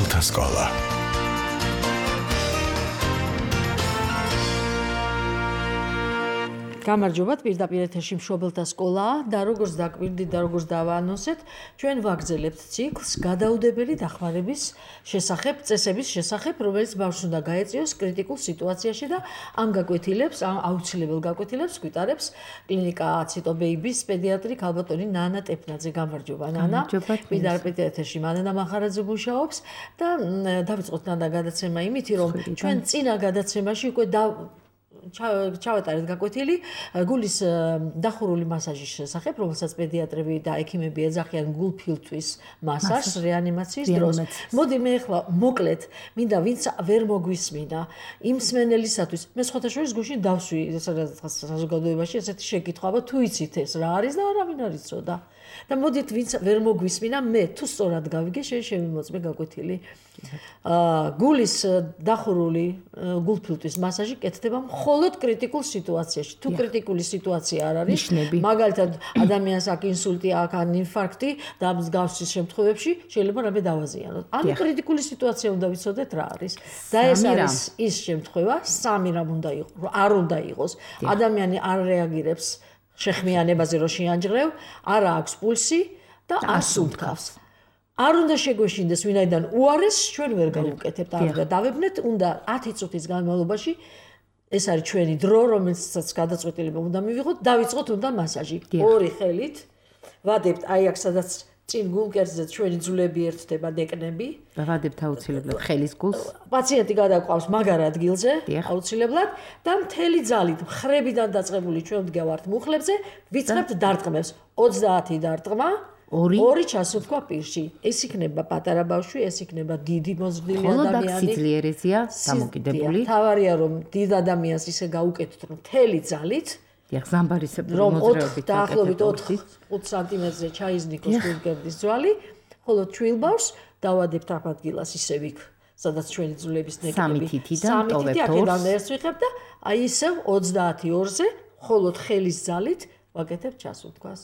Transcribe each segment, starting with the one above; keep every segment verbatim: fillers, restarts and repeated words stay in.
მშობელთა სკოლა. გამარჯობათ, პირდაპირ ეთერში მშობელთა სკოლა და როგორც დაკვირდით და როგორც დავაანონსეთ, ჩვენ ვაგრძელებთ ციკლს გადაუდებელი დახმარების შესახებ, წესების შესახებ, რომელიც ბავშვს უნდა გაეწიოს კრიტიკულ სიტუაციაში და ამ გაკვეთილებს, ამ აუცილებელ გაკვეთილებს გვიტარებს კლინიკა ციტო ბეიბის პედიატრი ქალბატონი ნანა ტეფნაძე. გამარჯობა ნანა. პირდაპირ ეთერში მანანა მახარაძე მუშაობს და დავიწყოთ ნანა გადაცემა იმით, რომ ჩვენ წინა გადაცემაში უკვე და ჩავატარეთ გაკვეთილი გულის დახურული მასაჟის შესახებ, რომელსაც პედიატრები და ექიმები ეძახიან გულფილტვის მასაჟს რეანიმაციის დროს. მოდი მე ახლა მოკლედ მინდა ვინც ვერ მოგვისმინა იმ მსმენელისათვის, მე სხვათა შორის გუშინ დავსვი საზოგადოებაში ესეთი შეკითხვა, თუ იცით ეს რა არის და არავინ არ იცოდა. და მოდით ვინც ვერ მოგვისმინა, მე თუ სწორად გავიგე, შენ შემიმოწმე გაკვეთილი. გულის დახურული გულფილტვის მასაჟი კეთდება მხოლოდ კრიტიკულ სიტუაციაში. თუ კრიტიკული სიტუაცია არ არის, მაგალითად ადამიანს აქ ინსულტი, აქ ან ინფარქტი და მსგავსი შემთხვევებში შეიძლება რამე დავაზიანოთ. ანუ კრიტიკული სიტუაცია უნდა ვიცოდეთ რა არის. და ეს არის ის შემთხვევა, სამი რამ უნდა იყოს, არ უნდა იყოს. ადამიანი არ რეაგირებს შეხმიანებაზე რო შეანჯღრევ, არ აქვს პულსი და არ სუნთქავს. არ უნდა შეგვეშინდეს ვინაიდან უარეს ჩვენ ვერ გავუკეთებთ, არ დავებნეთ, უნდა ათი წუთის განმავლობაში ეს არის ჩვენი დრო, რომელსაც გადაწყვეტილება უნდა მივიღოთ, დავიწყოთ უნდა მასაჟი. ორი ხელით ვადებთ აი აქ სადაც წინ გულკერძზე ჩვენი ძვლები ერთდება დეკნები. ვადებთ აუცილებლად ხელის გულს. პაციენტი გადაყვავს მაგარ ადგილზე, აუცილებლად და მთელი ძალით მხრებიდან დაწყებული ჩვენ ვდგავართ მუხლებზე, ვიწყებთ დარტყმებს. ოცდაათი დარტყმა. ორი ჩასუნთქვა პირში. ეს იქნება პატარა ბავშვი, ეს იქნება დიდი მოზრდილი ადამიანი. ხოლო სიძლიერეზეა დამოკიდებული. თავარია რომ დიდ ადამიანს ისე გაუკეთოთ რომ მთელი ძალით ზამბარისებრი მოძრაობით დაახლოებით ოთხ სანტიმეტრზე ჩაიზნიკოს გულკერდის ძვალი, ხოლო ჩვილ ბავშვს დავადებთ ამ ადგილას ისევ იქ, სადაც ჩვენი ძვლების ნეკნები. სამი თითიდან ტოვებთ ორს. აქედან ერთს ვიღებ და აი ისევ ოცდაათი ორზე, ხოლოდ ხელის ძალით ვაკეთებ ჩასუნთქვას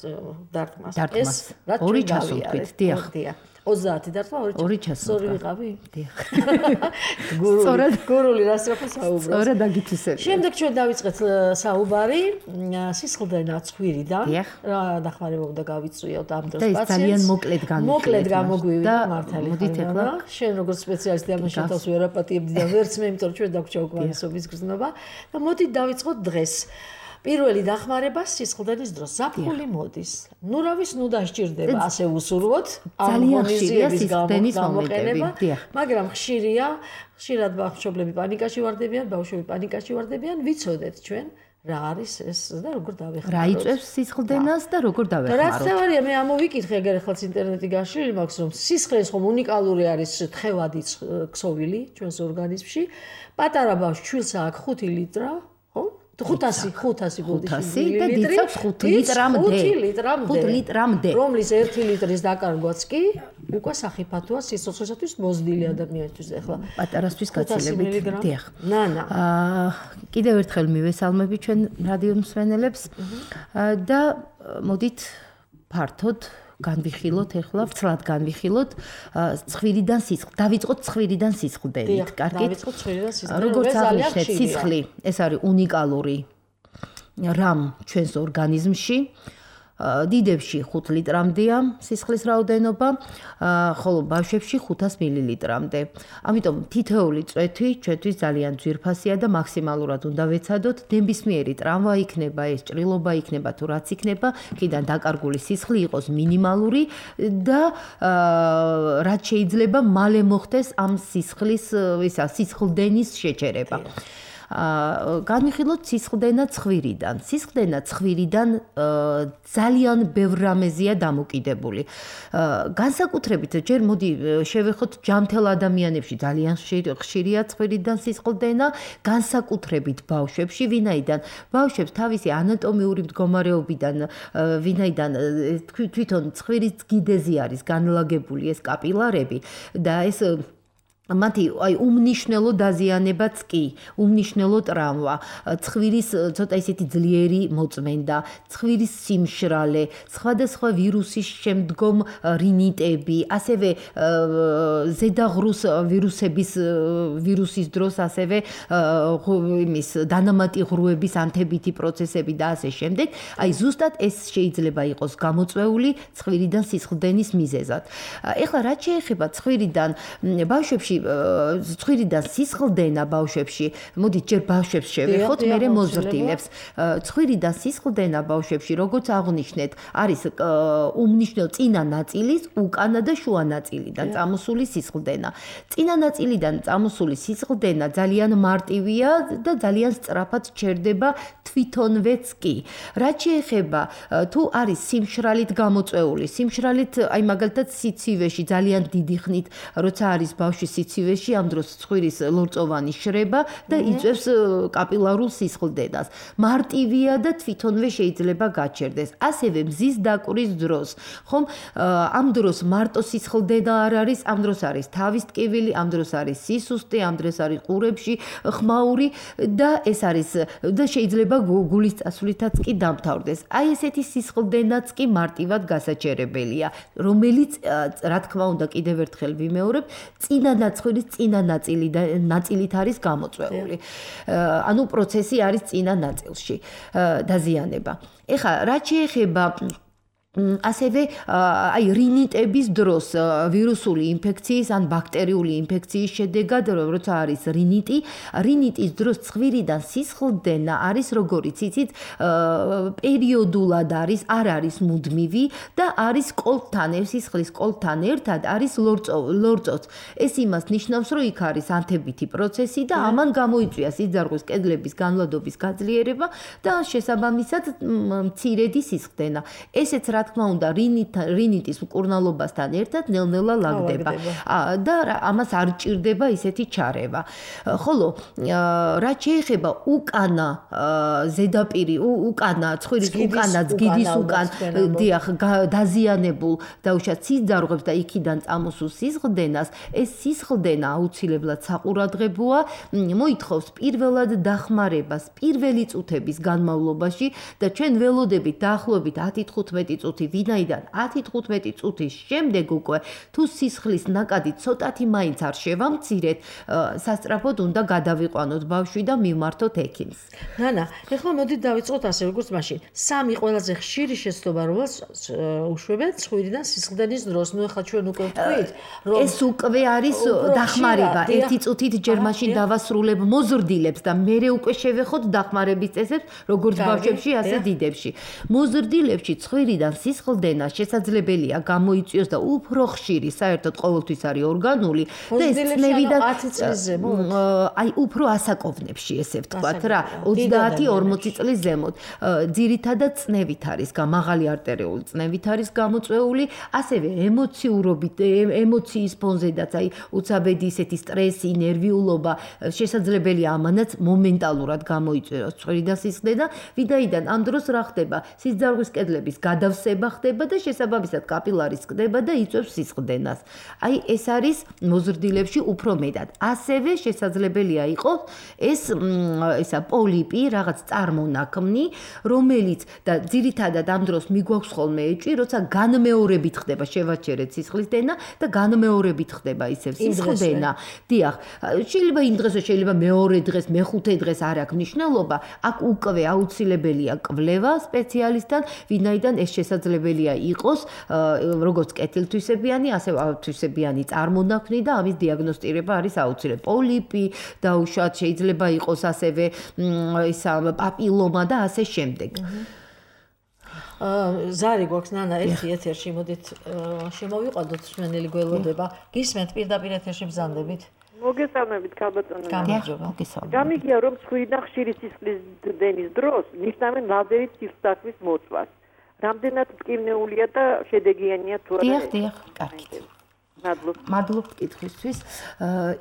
დარტყმას. ეს ორი ჩასუნთქვით, დიახ. ოცდაათი დარტყმა, ორი ჩასუნთქვა. სწორი ვიყავი? დიახ. გურული, გურული რასწრაფო საუბრობს. სწორად დაგითვისები. შემდეგ ჩვენ დავიწყეთ საუბარი სისხლდენა ცხვირიდან. რა დახმარება უნდა გავიწვიოთ ამ დროს პაციენტს. და ეს ძალიან მოკლედ გამიგვივიდა. მოკლედ გამოგვივიდა მართალი. მოდით ახლა შენ როგორც სპეციალისტი ამას შეთავს ვერ აპატიებდი და ვერც მე, იმიტომ რომ ჩვენ დაგვჭა უკმარისობის გრძნობა და მოდით დავიწყოთ დღეს. პირველი დახმარება სისხლდენის დროს ზაფხული მოდის. ნუ რა ვის ნუ დასჭირდება ასე უსურვოთ ძალიან ხშირია სისხლდენის გამოყენება, მაგრამ ხშირია, ხშირად ბავშვები პანიკაში ვარდებიან, ბავშვები პანიკაში ვარდებიან, ვიცოდეთ ჩვენ რა არის ეს და როგორ დავეხმაროთ. რა იწვევს სისხლდენას და როგორ დავეხმაროთ. რაც თავარია მე ამოვიკითხე, ეგარ ახლა ინტერნეტი გაშლილი მაქვს, რომ სისხლის ხომ უნიკალური არის თხევადი ქსოვილი ჩვენს ორგანიზმში. პატარა ბავშვს ჩვილს აქვს ხუთი ლიტრა, ხო? ხუთასი ხუთასი ხუთასი და დიცავს ხუთი ლიტრამდე. ხუთი ლიტრამდე. რომლის ერთი ლიტრის დაკარგვაც კი უკვე სახიფათოა სიცოცხლისათვის მოზრდილი ადამიანისთვის ახლა. პატარასთვის გაცილებით. დიახ. ნანა. აა კიდევ ერთხელ მივესალმები ჩვენ რადიო მსმენელებს და მოდით ფართოდ განვიხილოთ ახლა, ვცლად განვიხილოთ ცხვირიდან სისხლ. დავიწყოთ ცხვირიდან სისხლდენით, კარგით? დავიწყოთ ცხვირიდან სისხლდენით. როგორც აღნიშნეთ, სისხლი ეს არის უნიკალური რამ ჩვენს ორგანიზმში. დიდებში ხუთ ლიტრამდეა სისხლის რაოდენობა, ხოლო ბავშვებში ხუთას მილilitrამდე. ამიტომ თითოეული წვეთი ჩვენთვის ძალიან ძვირფასია და მაქსიმალურად უნდა ვეცადოთ. ნებისმიერი ტრავმა იქნება, ეს ჭრილობა იქნება თუ რაც იქნება, კიდან დაკარგული სისხლი იყოს მინიმალური და რაც შეიძლება მალე მოხდეს ამ სისხლის, ისა სისხლდენის შეჩერება. განვიხილოთ სისხლდენა ცხვირიდან. სისხლდენა ცხვირიდან ძალიან ბევრ რამეზეა დამოკიდებული. განსაკუთრებით ჯერ მოდი შევეხოთ ჯანმრთელ ადამიანებში ძალიან ხშირია ცხვირიდან სისხლდენა, განსაკუთრებით ბავშვებში, ვინაიდან ბავშვებს თავისი ანატომიური მდგომარეობიდან, ვინაიდან თვითონ ცხვირის გიდეზე არის განლაგებული ეს კაპილარები და ეს მათი აი უმნიშვნელო დაზიანებაც კი, უმნიშვნელო ტრავმა, ცხვირის ცოტა ისეთი ძლიერი მოწმენდა, ცხვირის სიმშრალე, სხვადასხვა ვირუსის შემდგომ რინიტები, ასევე ზედაღრუს ვირუსების ვირუსის დროს ასევე იმის დანამატი ღრუების ანთებითი პროცესები და ასე შემდეგ. აი ზუსტად ეს შეიძლება იყოს გამოწვეული ცხვირიდან სისხლდენის მიზეზად. ეხლა რაც შეეხება ცხვირიდან ბავშვებში ცხვირიდან სისხლდენა ბავშვებში, მოდით ჯერ ბავშვებს შევეხოთ, მერე მოზრდილებს. ცხვირიდან სისხლდენა ბავშვებში, როგორც აღვნიშნეთ, არის უმნიშვნელო წინა ნაწილის უკანა და შუა ნაწილიდან წამოსული სისხლდენა. წინა ნაწილიდან წამოსული სისხლდენა ძალიან მარტივია და ძალიან სწრაფად ჩერდება თვითონვეც კი. რაც შეეხება თუ არის სიმშრალით გამოწვეული, სიმშრალით აი მაგალითად სიცივეში ძალიან დიდი ხნით, როცა არის ბავშვი სიცივეში, ამ დროს ცხვირის ლორწოვანი შრება და იწვევს კაპილარულ სისხლდენას. მარტივია და თვითონვე შეიძლება გაჩერდეს. ასევე მზის დაკვრის დროს, ხომ, ამ დროს მარტო სისხლდენა არ არის, ამ დროს არის თავის ტკივილი, ამ დროს არის სისუსტე, ამ დროს არის ყურებში ხმაური და ეს არის და შეიძლება გულის წასვლითაც კი დამთავრდეს. აი ესეთი სისხლდენაც კი მარტივად გასაჩერებელია, რომელიც რა თქმა უნდა კიდევ ერთხელ ვიმეორებ, წინა ცხვირის წინა ნაწილი და ნაწილით არის გამოწვეული. ანუ პროცესი არის წინა ნაწილში დაზიანება. ეხლა რაც შეეხება ასევე აი რინიტების დროს ვირუსული ინფექციის ან ბაქტერიული ინფექციის შედეგად როცა არის რინიტი, რინიტის დროს ცხვირიდან სისხლდენა არის როგორიც იცით პერიოდულად არის, არ არის მუდმივი და არის კოლთან, სისხლის კოლთან ერთად არის ლორწოც. ეს იმას ნიშნავს, რომ იქ არის ანთებითი პროცესი და ამან გამოიწვია სიძარღვის კედლების განვლადობის გაძლიერება და შესაბამისად მცირედი სისხლდენა. ესეც რა თქმა უნდა რინიტის მკურნალობასთან ერთად ნელ-ნელა ლაგდება და ამას არ ჭირდება ისეთი ჩარევა. ხოლო რაც შეეხება უკანა ზედაპირი, უკანა ცხვირის უკანა ძგიდის უკან დიახ დაზიანებულ დაუშვათ სიძარღვებს და იქიდან წამოსულ სისხლდენას, ეს სისხლდენა აუცილებლად საყურადღებოა, მოითხოვს პირველად დახმარებას პირველი წუთების განმავლობაში და ჩვენ ველოდებით დაახლოებით ათი თხუთმეტი წუთი ვინაიდან ათი თხუთმეტი წუთის შემდეგ უკვე თუ სისხლის ნაკადი ცოტათი მაინც არ შევამცირეთ, სასწრაფოდ უნდა გადავიყვანოთ ბავშვი და მივმართოთ ექიმს. ნანა, ეხლა მოდით დავიწყოთ ასე როგორც მაშინ. სამი ყველაზე ხშირი შეცდომა რომელს უშვებენ ცხვირიდან სისხლდენის დროს. ნუ ეხლა ჩვენ უკვე ვთქვით, რომ ეს უკვე არის დახმარება. ერთი წუთით ჯერ მაშინ დავასრულებ მოზრდილებს და მერე უკვე შევეხოთ დახმარების წესებს, როგორც ბავშვებში, ასე დიდებში. მოზრდილებში ცხვირიდან სისხლდენა შესაძლებელია გამოიწვიოს და უფრო ხშირი, საერთოდ ყოველთვის არის ორგანული და ეს წნევიდან ათი წლის ზემოთ. აი უფრო ასაკოვნებში ესე ვთქვათ რა, ოცდაათი ორმოცი წლის ზემოთ. ძირითადად წნევით არის, მაღალი არტერიული წნევით არის გამოწვეული, ასევე ემოციურობით, ემოციის ფონზედაც, აი უცაბედი ისეთი სტრესი, ნერვიულობა, შესაძლებელია ამანაც მომენტალურად გამოიწვიოს ცხვირიდან სისხლდენა, ვინაიდან ამ დროს რა ხდება? სიძარღვის კედლების გადავსება ხდება და შესაბამისად კაპილარის ყდება და იწვევს სისხლდენას. აი ეს არის მოზრდილებში უფრო მეტად. ასევე შესაძლებელია იყოს ეს ესა პოლიპი, რაღაც წარმონაქმნი, რომელიც და ძირითადად ამ დროს მიგვაქვს ხოლმე ეჭვი, როცა განმეორებით ხდება შევაჩერეთ სისხლდენა და განმეორებით ხდება ისევ სისხლდენა. დიახ, შეიძლება იმ დღესო, შეიძლება მეორე დღეს, მეხუთე დღეს არ აქვს მნიშვნელობა, აქ უკვე აუცილებელია კვლევა სპეციალისტთან, ვინაიდან ეს შესაძლებელია იყოს როგორც კეთილთვისებიანი, ასევე ავთვისებიანი წარმონაქმნი და ამის დიაგნოსტირება არის აუცილებელი. პოლიპი დაუშვათ შეიძლება იყოს ასევე ისა პაპილომა და ასე შემდეგ. ზარი გვაქვს ნანა ერთი ეთერში, მოდით შემოვიყვანოთ სვენელი გველოდება. გისმენთ პირდაპირ ეთერში ბრძანდებით. მოგესალმებით ქალბატონო. გამარჯობა. გამიგია რომ ცხვირიდან ხშირი სისხლდენის დროს ნიშნავენ ლაზერით სისხლის მოწვას. რამდენად მტკივნეულია და შედეგიანია თუ არა? დიახ, დიახ, კარგით. მადლობთ. მადლობთ კითხვისთვის.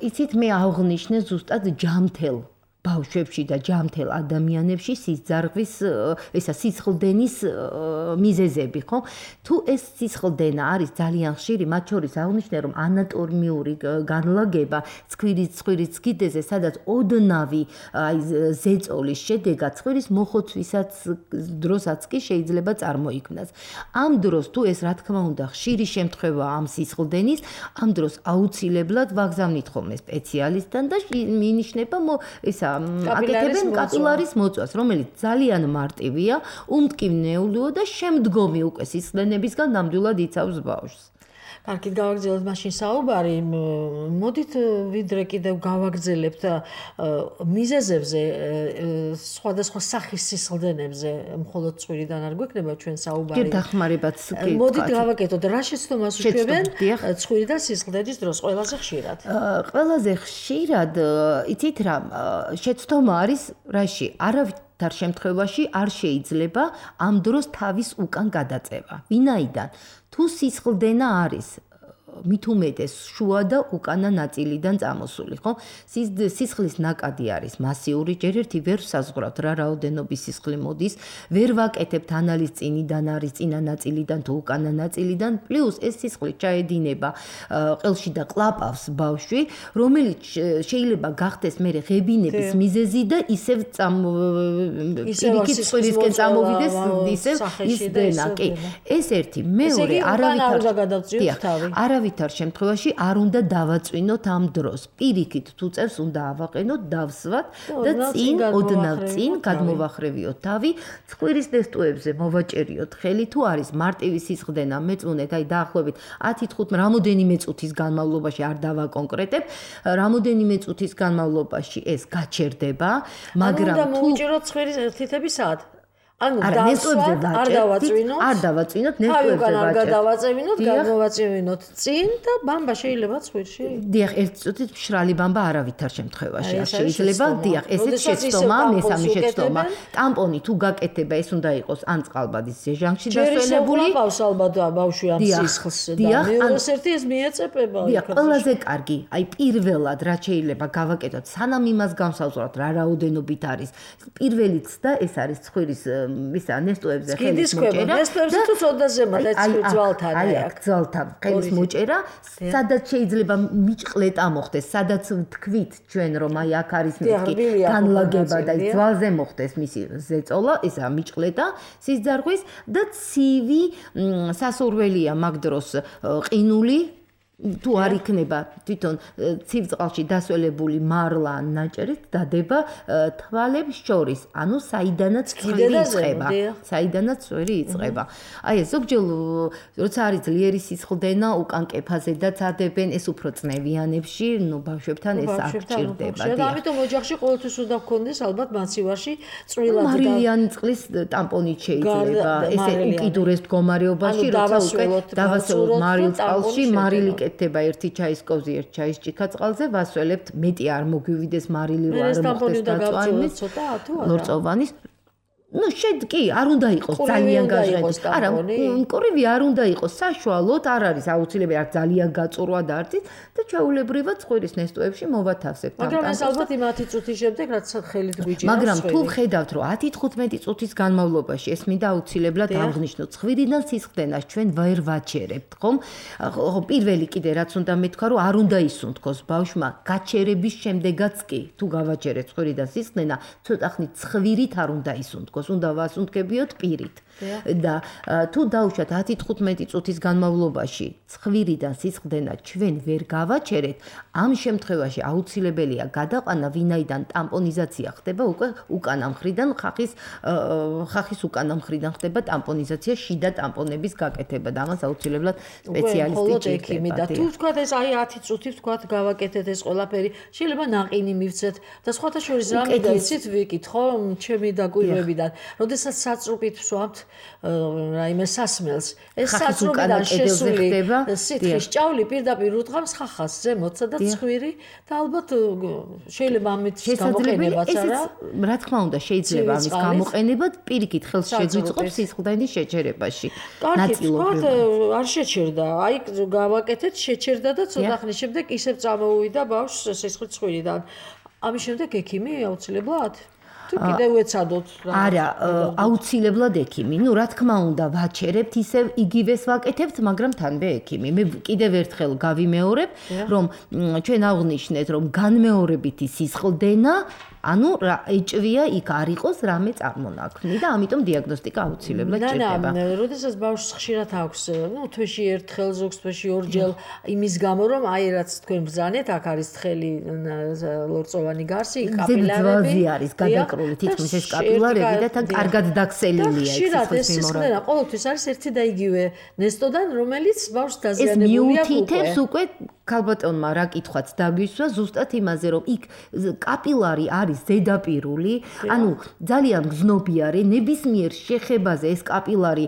იცით მე აღნიშნე ზუსტად ჯამთელ ბავშვებში და ჯამთელ ადამიანებში სისხლის ესა სისხლდენის მიზეზები, ხო? თუ ეს სისხლდენა არის ძალიან ხშირი, მათ შორის აღნიშნე რომ ანატომიური განლაგება ცხვირის ცხვირის კიდეზე, სადაც ოდნავი აი ზეწოლის შედეგად ცხვირის მოხოცვისაც დროსაც კი შეიძლება წარმოიქმნას. ამ დროს თუ ეს რა თქმა უნდა ხშირი შემთხვევაა ამ სისხლდენის, ამ დროს აუცილებლად ვაგზავნით ხოლმე სპეციალისტთან და მინიშნება ესა აკეთებენ კაპილარის მოწვას, რომელიც ძალიან მარტივია, უმტკივნეულოა და შემდგომი უკვე სისხლდენებისგან ნამდვილად იცავს ბავშვს. კარგით, გავაგრძელოთ მაშინ საუბარი. მოდით ვიდრე კიდევ გავაგრძელებთ მიზეზებზე, სხვადასხვა სახის სისხლდენებზე, მხოლოდ ცხვირიდან არ გვექნება ჩვენ საუბარი. კი, დახმარებაც კი. მოდით გავაკეთოთ, რა შეცდომას უშვებენ ცხვირიდან სისხლდენის დროს ყველაზე ხშირად? ყველაზე ხშირად, იცით რა, შეცდომა არის რაში? არავითარ შემთხვევაში არ შეიძლება ამ დროს თავის უკან გადაწევა. ვინაიდან თუ სისხლდენა არის მით უმეტეს შუა და უკანა ნაწილიდან წამოსული, ხო? სისხლის ნაკადი არის მასიური, ჯერ ერთი ვერ საზღვრავთ რა რაოდენობის სისხლი მოდის, ვერ ვაკეთებთ ანალიზ წინიდან არის წინა ნაწილიდან თუ უკანა ნაწილიდან, პლუს ეს სისხლი ჩაედინება ყელში და კლაპავს ბავშვი, რომელიც შეიძლება გახდეს მერე ღებინების მიზეზი და ისევ პირიქით ცხვირისკენ წამოვიდეს ისევ ის დენა, კი. ეს ერთი, მეორე არავითარ არავითარ შემთხვევაში არ უნდა დავაწვინოთ ამ დროს. პირიქით თუ წევს უნდა ავაყენოთ, დავსვათ და წინ ოდნავ წინ გადმოვახრევიოთ თავი, ცხვირის ნესტოებზე მოვაჭერიოთ ხელი, თუ არის მარტივი სისხლდენა, მეწუნეთ, აი დაახლოებით ათი თხუთმეტი რამოდენიმე წუთის განმავლობაში არ დავაკონკრეტებ, რამოდენიმე წუთის განმავლობაში ეს გაჩერდება, მაგრამ თუ უნდა მოვუჭიროთ ცხვირის თითები სად? ანუ დავსვათ, არ დავაწვინოთ, არ დავაწვინოთ, ნესტოებზე ვაჭერთ. არ გადავაწევინოთ, გადმოვაწევინოთ წინ და ბამბა შეიძლება ცხვირში? დიახ, ერთ წუთით მშრალი ბამბა არავითარ შემთხვევაში არ შეიძლება. დიახ, ესეც შეცდომაა, მესამე შეცდომა. ტამპონი თუ გაკეთება, ეს უნდა იყოს ან წყალბადის ზეჟანში დასვენებული. ჯერ ისე ალბათ ბავშვი ამ სისხლს და მეორეს ერთი ეს მიეწეპება. დიახ, ყველაზე კარგი, აი პირველად რა შეიძლება გავაკეთოთ, სანამ იმას გამსავსვრათ რა რაოდენობით არის. პირველიც და ეს არის ცხვირის ისა ნესტოებზე ხელის მოჭერა. ნესტოებზე თუ ცოტა ზემოთ ეს ძვალთან აი აქ ძვალთან ხელის მოჭერა, სადაც შეიძლება მიჭყლეტა მოხდეს, სადაც თქვით ჩვენ რომ აი აქ არის მეთქი განლაგება და ძვალზე მოხდეს მისი ზეწოლა, ისა მიჭყლეტა სისძარღვის და ცივი სასურველია მაგ დროს ყინული თუ არ იქნება თვითონ ცივ წყალში დასველებული მარლა ან ნაჭერით დადება თვალებს შორის, ანუ საიდანაც ცხვირი იწყება, საიდანაც ცხვირი იწყება. აი ეს ზოგჯერ როცა არის ძლიერი სისხლდენა, უკან კეფაზედაც ადებენ, ეს უფრო წნევიანებში, ნუ ბავშვებთან ეს არ გჭირდება. და ამიტომ ოჯახში ყოველთვის უნდა გქონდეს ალბათ მაცივარში წვრილად მარილიანი წყლის ტამპონით შეიძლება. ესე უკიდურეს მდგომარეობაში, როცა უკვე დავასრულოთ მარილ წყალში, მარილი ეთება ერთი ჩაის კოვზი, ერთ ჩაის ჭიქა წყალზე, ვასველებთ, მეტი არ მოგვივიდეს მარილი რო არ მოხდეს დაწვანის, ლორწოვანის. ну შედ კი არ უნდა იყოს ძალიან გაჟღერებული. არა, მკრივი არ უნდა იყოს საშუალოდ, არ არის აუცილებელი არ ძალიან გაწურვა და არც და ჩაულებრივად ცხვირის ნესტოებში მოვათავსებთ ამ მაგრამ ეს ალბათ იმ ათი წუთის შემდეგ რაც ხელით გვიჭირავს. მაგრამ თუ ხედავთ რომ ათი თხუთმეტი წუთის განმავლობაში ეს მინდა აუცილებლად აღნიშნოთ, ცხვირიდან სისხლდენას ჩვენ ვერ ვაჩერებთ, ხომ? ხო, პირველი კიდე რაც უნდა მეთქვა რომ არ უნდა ისუნთქოს ბავშვმა გაჩერების შემდეგაც კი, თუ გავაჩერეთ ცხვირიდან სისხლდენა, ცოტა ხნით ცხვირით არ უნდა ისუნთქოს. უნდა ვასუნთქებიოთ პირით და თუ დაუშვათ ათი თხუთმეტი წუთის განმავლობაში ცხვირიდან სისხლდენა ჩვენ ვერ გავაჩერეთ, ამ შემთხვევაში აუცილებელია გადაყანა, ვინაიდან ტამპონიზაცია ხდება უკვე უკანა მხრიდან, ხახის ხახის უკანა მხრიდან ხდება ტამპონიზაცია, შიდა ტამპონების გაკეთება და ამას აუცილებლად სპეციალისტი ჭირდება. და თუ თქვათ ეს აი ათი წუთი თქვათ გავაკეთეთ ეს ყველაფერი, შეიძლება ნაყინი მივცეთ და სხვათა შორის რამე გაიცით ვიკითხო ჩემი დაკვირვებიდან. როდესაც საწრუპით ვსვამთ რაიმე სასმელს, ეს საწრუპიდან შესული სითხის ჭავლი პირდაპირ უდღამს ხახას ზემოთ, სადაც ცხვირი და ალბათ შეიძლება ამით გამოყენებაც არა. რა თქმა უნდა, შეიძლება ამის გამოყენებად პირიქით ხელს შეგვიწყობს სისხლდენის შეჩერებაში. ნაწილობრივად არ შეჩერდა. აი გავაკეთეთ, შეჩერდა და ცოტა ხნის შემდეგ ისევ წამოვიდა ბავშვს სისხლი ცხვირიდან. ამის შემდეგ ექიმი აუცილებლად? თუ კიდევ ეცადოთ არა, აუცილებლად ექიმი. ნუ რა თქმა უნდა, ვაჩერებთ ისევ იგივეს ვაკეთებთ, მაგრამ თანბე ექიმი. მე კიდევ ერთხელ გავიმეორებ, რომ ჩვენ აღვნიშნეთ, რომ განმეორებითი სისხლდენა ანუ რა ეჭვია იქ არ იყოს რამე წარმონაქმნი და ამიტომ დიაგნოსტიკა აუცილებლად ჭირდება. და და როდესაც ბავშვს ხშირად აქვს, ნუ თვეში ერთხელ, ზოგს თვეში ორჯერ იმის გამო რომ აი რაც თქვენ ბრძანეთ, აქ არის თხელი ლორწოვანი გარსი, კაპილარები. ძვაზე არის გადაკრული თითქმის ეს კაპილარები და თან კარგად დაქსელილია ეს სისხლდენა. ყოველთვის არის ერთი და იგივე ნესტოდან, რომელიც ბავშვს დაზიანებული აქვს. ეს მიუთითებს უკვე ქალბატონმა რა კითხვაც დაგვისვა ზუსტად იმაზე რომ იქ კაპილარი არის ზედაპირული, ანუ ძალიან გზნობიარე ნებისმიერ შეხებაზე ეს კაპილარი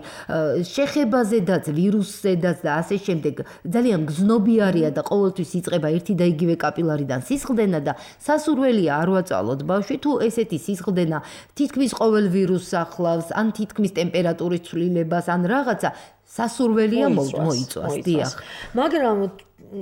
შეხებაზედაც ვირუსზედაც და ასე შემდეგ ძალიან გზნობიარია და ყოველთვის იწყება ერთი და იგივე კაპილარიდან სისხლდენა და სასურველია არ ვაწალოთ ბავშვი თუ ესეთი სისხლდენა თითქმის ყოველ ვირუსს ახლავს ან თითქმის ტემპერატურის ცვლილებას ან რაღაცა სასურველია მოიწვას დიახ მაგრამ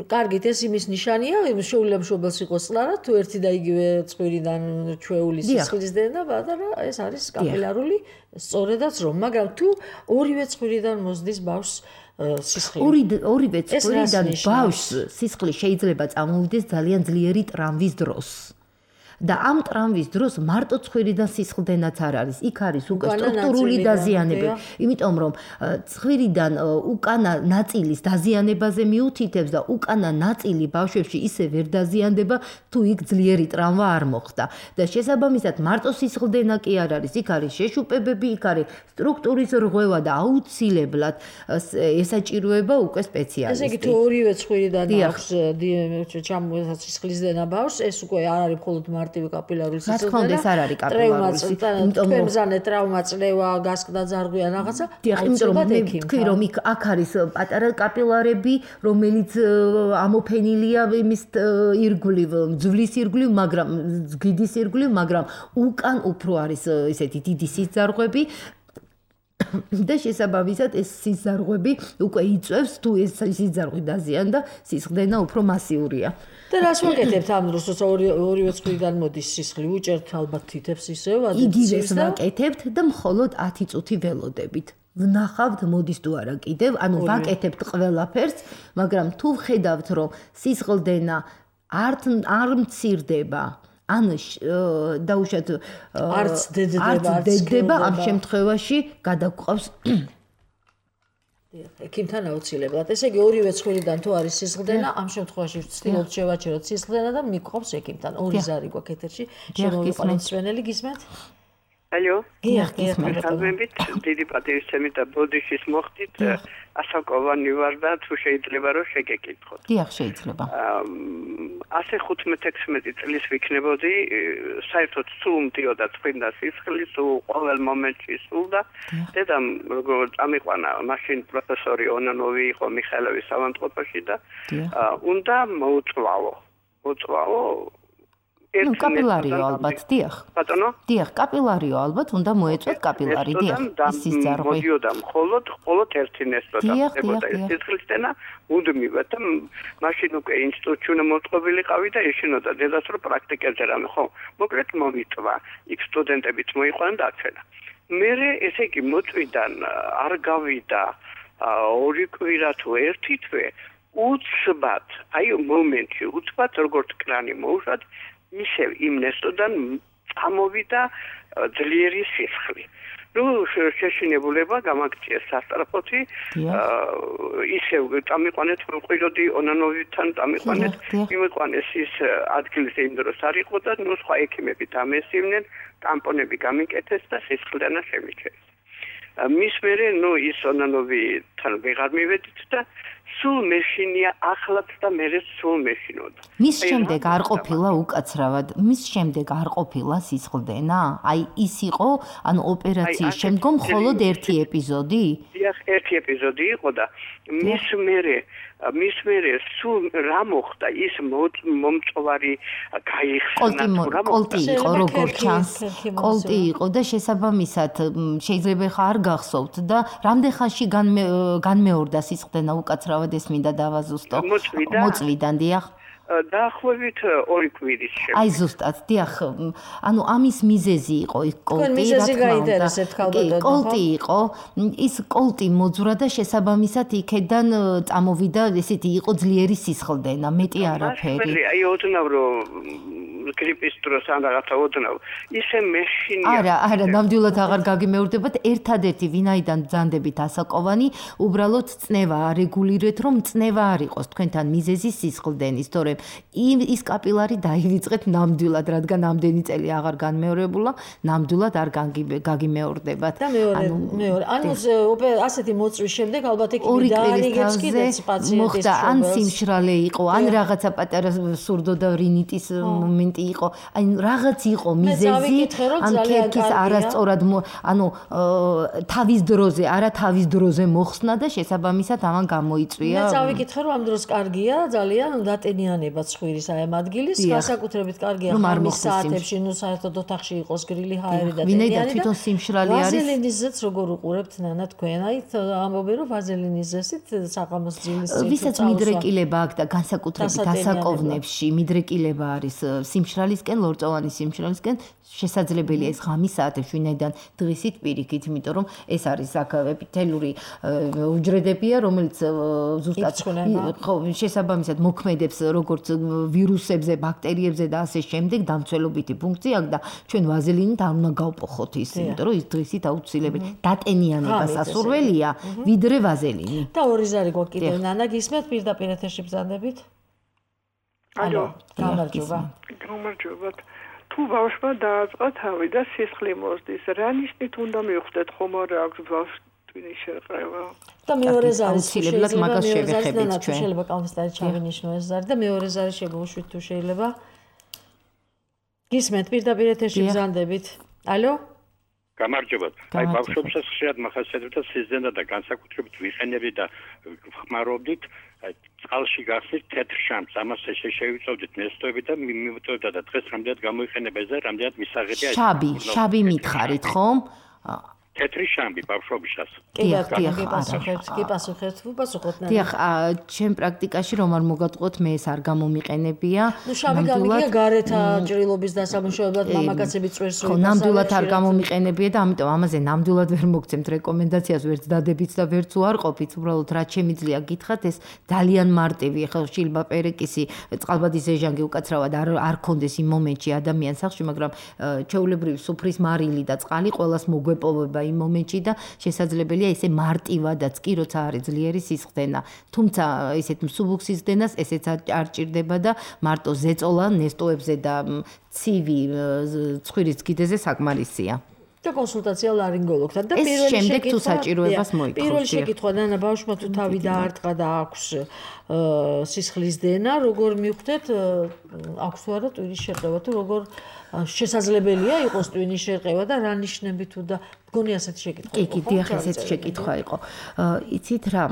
კარგით ეს იმის ნიშანია შეულებშობელს იყოს წლარა თუ ერთი და იგივე წვირიდან ჩვეული სისხლის დენა და ეს არის კაპილარული სწორედაც რომ მაგრამ თუ ორივე წვირიდან მოსდის ბავშვს სისხლი ორი ორივე წვირიდან ბავშვს სისხლი შეიძლება წამოვიდეს ძალიან ძლიერი ტრამვის დროს და ამ ტრამვის დროს მარტო ცხვირიდან სისხლდენაც არ არის. იქ არის უკვე სტრუქტურული დაზიანებები. იმიტომ რომ ცხვირიდან უკანა ნაწილის დაზიანებაზე მიუთითებს და უკანა ნაწილი ბავშვებში ისე ვერ დაზიანდება, თუ იქ ძლიერი ტრავმა არ მოხდა. და შესაბამისად მარტო სისხლდენა კი არ არის. იქ არის შეშუპებები, იქ არის სტრუქტურის რღვევა და აუცილებლად ესაჭიროება უკვე სპეციალისტი. ესე იგი თუ ორივე ცხვირიდან აქვს ჩამოეცა სისხლისდენა ბავშვს, ეს უკვე არ არის მხოლოდ მარტივი კაპილარული სისხლდენა. რა თქმა უნდა, ეს არ არის კაპილარული სისხლდენა. იმიტომ რომ ტრავმა, წლევა, გასკდა ძარღვი ან რაღაცა. იმიტომ რომ მე ვთქვი რომ იქ აქ არის პატარა კაპილარები, რომელიც ამოფენილია იმის ირგვლივ, ძვლის ირგვლივ, მაგრამ გიდის ირგვლივ, მაგრამ უკან უფრო არის ესეთი დიდი სიზარღვები. და შესაბამისად ეს სიზარღვები უკვე იწევს თუ ეს სიზარღვი დაზიანდა სისხლდენა უფრო მასიურია. და რას ვაკეთებთ ამ დროს როცა ორივე წვრიდან მოდის სისხლი უჭერთ ალბათ თითებს ისევ იგივეს ვაკეთებთ და მხოლოდ ათი წუთი ველოდებით. ვნახავთ მოდის თუ არა კიდევ, ანუ ვაკეთებთ ყველაფერს, მაგრამ თუ ვხედავთ რომ სისხლდენა არ არ მცირდება ან დაუშვათ არც დედება ამ შემთხვევაში გადაგყავს ექიმთან აუცილებლად. ესე იგი ორივე ცხვირიდან თუ არის სისხლდენა, ამ შემთხვევაში ვცდილობთ შევაჩეროთ სისხლდენა და მიყავს ექიმთან. ორი ზარი გვაქვს ეთერში. შემოვიყვანოთ სვენელი გისმენთ? ალო. დიახ, გისმენთ. გასაგებით, დიდი პატივისცემით და ბოდიშის მოხდით. ასაკოვანი ვარ და თუ შეიძლება რომ შეგეკითხოთ. დიახ, შეიძლება. ასე ხუთმეტ-ექვსმეტი წლის ვიქნებოდი, საერთოდ სულ მდიოდა წმინდა სისხლი, სულ ყოველ მომენტში სულ და დედამ როგორ წამიყვანა, მაშინ პროფესორი ონანოვი იყო მიხეილოვის ავადმყოფოში და უნდა მოუწვავო. მოუწვავო ნუ კაპილარიო ალბათ, დიახ. ბატონო? დიახ, კაპილარიო ალბათ, უნდა მოეწვათ კაპილარი, დიახ. ის სიზარღვი. მოდიოდა მხოლოდ მხოლოდ ერთი ნესტოდა. ეხება ეს სისხლისდენა მუდმივად და მაშინ უკვე ინსტიტუტში უნდა მოწყობილიყავი და ეშინოდა დედას რომ პრაქტიკებზე რამე ხო. მოკლედ მომიწვა. იქ სტუდენტებიც მოიყვანა და აჩვენა. მერე ესე იგი მოწვიდან არ გავიდა ორი კვირა თუ ერთი თვე უცბად, აი მომენტში უცბად როგორც კრანი მოუშვათ ისევ იმ ნესტოდან წამოვიდა ძლიერი სისხლი. ნუ შეშინებულება გამაგწიეს სასწრაფოთი, ისევ წამიყვანეთ მყიდოდი ონანოვთან წამიყვანეთ, იმიყვანეს ის ადგილზე იმ დროს არ იყო და ნუ სხვა ექიმები დამესივნენ, ტამპონები გამიკეთეს და სისხლდენა შემიჩნეს. მის მერე ნუ ის ონანოვთან ვეღარ მივედით და სულ მეშინია ახლაც და მერე სულ მეშინოდა. მის შემდეგ არ ყოფილა უკაცრავად, მის შემდეგ არ ყოფილა სისხლდენა? აი ის იყო, ანუ ოპერაციის შემდგომ მხოლოდ ერთი ეპიზოდი? დიახ, ერთი ეპიზოდი იყო და მის მერე მის მერე სულ რა მოხდა ის მომწვარი გაიხსნა თუ რა მოხდა? კოლტი იყო როგორ ჩანს, კოლტი იყო და შესაბამისად შეიძლება ხა არ გახსოვთ და რამდენ ხანში განმეორდა სისხლდენა უკაცრავად ეს მინდა დავაზუსტო. მოწვიდა. მოწვიდან, დიახ. დაახლოებით ორი კვირის შემდეგ. აი ზუსტად, დიახ, ანუ ამის მიზეზი იყო ის კოლტი, რა თქმა უნდა. კოლტი იყო, ის კოლტი მოძვრა და შესაბამისად იქედან წამოვიდა, ესეთი იყო ძლიერი სისხლდენა, მეტი არაფერი. აი ოდნავ რომ გრიპის დროს ან რაღაცა ოდნავ ისე მეშინია. არა, არა, ნამდვილად აღარ გაგიმეორდებათ, ერთადერთი ვინაიდან ბრძანდებით ასაკოვანი, უბრალოდ წნევა არეგულირეთ, რომ წნევა არ იყოს თქვენთან მიზეზი სისხლდენის, თორემ ის კაპილარი დაივიწყეთ ნამდვილად, რადგან ამდენი წელი აღარ განმეორებულა, ნამდვილად არ გაგიმეორდებათ. და მეორე, მეორე, ანუ ასეთი მოწვის შემდეგ ალბათ იქ დაარიგებს კიდეც პაციენტის მოხდა ან სიმშრალე იყო, ან რაღაცა პატარა სურდო და რინიტის მომენტი იყო, აი რაღაც იყო მიზეზი, ან ქერქის არასწორად, ანუ თავის დროზე, არა თავის დროზე მოხსნა და შესაბამისად ამან გამოიწვია. მე წავიკითხე, რომ ამ დროს კარგია, ძალიან დატენიანება ცხვირის აი ამ ადგილის, განსაკუთრებით კარგია ხამის საათებში, ნუ საერთოდ ოთახში იყოს გრილი ჰაერი და ვინაიდან თვითონ სიმშრალე არის. ვაზელინის ზეც როგორ უყურებთ ნანა თქვენ? აი ამბობენ, რომ ვაზელინის ზესით საღამოს ძილის წინ ვისაც მიდრეკილება აქვს და განსაკუთრებით დასაკოვნებში მიდრეკილება არის სიმშრალისკენ, ლორწოვანი სიმშრალისკენ, შესაძლებელია ეს ღამის საათებში, ვინაიდან დღისით პირიქით, იმიტომ რომ ეს არის აქ ეპითელური უჯრედებია, რომელიც ზუსტად ხო შესაბამისად მოქმედებს როგორც ვირუსებზე, ბაქტერიებზე და ასე შემდეგ, დამცველობითი ფუნქცია აქვს და ჩვენ ვაზელინით არ უნდა გავპოხოთ ის, იმიტომ რომ ის დღისით აუცილებელი დატენიანება სასურველია, ვიდრე ვაზელინი. და ორი ზარი გვაქვს კიდევ ნანა, გისმენთ პირდაპირ ეთერში ბრძანდებით? ალო, გამარჯობა. გამარჯობათ. თუ ბავშვმა დააწყა თავი და სისხლი მოსდის, რა ნიშნით უნდა მივხვდეთ, ხომ არა აქვს ბავშვს ტვინის შერყევა? და მეორე ზარი აუცილებლად მაგას შევეხებით ჩვენ. შეიძლება კალმისტარი ჩავინიშნო ეს ზარი და მეორე ზარი შეგუშვით თუ შეიძლება. გისმენთ პირდაპირ ეთერში ბრძანდებით. ალო? გამარჯობათ. აი ბავშვებსაც ხშირად მახასიათებთ სიზდენა და განსაკუთრებით ვიყენები და ხმარობდით აი წყალში გახსნით თეთრ შამს, ამას შევიწოდით ნესტოები და მიმოვიტოვდა და დღეს რამდენად გამოიყენება ეს და რამდენად მისაღებია ეს. შაბი, შაბი მითხარით ხომ? თეთრი შამბი ბავშვობისას. კი, კი, პასუხებთ, კი, პასუხებთ, პასუხობთ ნანა. დიახ, ჩემ პრაქტიკაში რომ არ მოგატყუოთ, მე ეს არ გამომიყენებია. ნუ შავი გამიგია გარეთა ჭრილობის დასამუშავებლად მამაკაცები წვერს რო ნამდვილად არ გამომიყენებია და ამიტომ ამაზე ნამდვილად ვერ მოგცემთ რეკომენდაციას, ვერც დადებიც და ვერც უარყოფით, უბრალოდ რაც შემიძლია გითხრათ, ეს ძალიან მარტივი, ხო, შილბა პერეკისი, წყალბადის ეჟანგი უკაცრავად არ არ კონდეს იმ მომენტში ადამიანს სახში, მაგრამ ჩვეულებრივი სუფრის მარილი და წყალი ყოველას მოგვეპოვება იმ მომენტში და შესაძლებელია ესე მარტივადაც კი როცა არის ძლიერი სისხლდენა. თუმცა ესეთ მსუბუქ სისხლდენას ესეც არ ჭირდება და მარტო ზეწოლა ნესტოებზე და ცივი ცხვირის კიდეზე საკმარისია. და კონსულტაცია ლარინგოლოგთან და პირველი შემდეგ თუ საჭიროებას მოითხოვს. პირველი შეკითხვა ნანა ბავშვმა თუ თავი დაარტყა და აქვს სისხლის დენა, როგორ მივხვდეთ აქვს თუ არა ტვინის შერყევა თუ როგორ შესაძლებელია იყოს ტვინის შერყევა და რა ნიშნები თუ და მგონი ასეთი შეკითხვა. კი, კი, დიახ, ესეთი შეკითხვა იყო. იცით რა,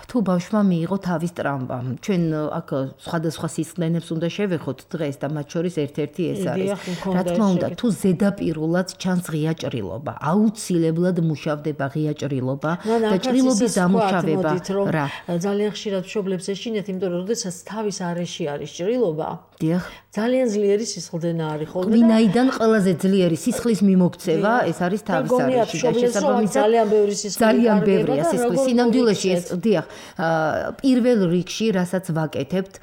თუ ბავშვმა მიიღო თავის ტრამვა, ჩვენ აქ სხვადასხვა სისხლდენებს უნდა შევეხოთ დღეს და მათ შორის ერთ-ერთი ეს არის. რა თქმა უნდა, თუ ზედაპირულად ჩანს ღია ჭრილობა, აუცილებლად მუშავდება ღია ჭრილობა და ჭრილობის დამუშავება. რა, ძალიან ხშირად მშობლებს ეშინეთ, იმიტომ რომ როდესაც თავის არეში არის ჭრილობა, დიახ, ძალიან ძლიერი სისხლდენა არის ხოლმე. ვინაიდან ყველაზე ძლიერი სისხლის მიმოქცევა ეს არის თავის არეში და შესაბამისად ძალიან ბევრი სისხლი ძალიან ბევრია სისხლის სინამდვილეში ეს დიახ პირველ რიგში რასაც ვაკეთებთ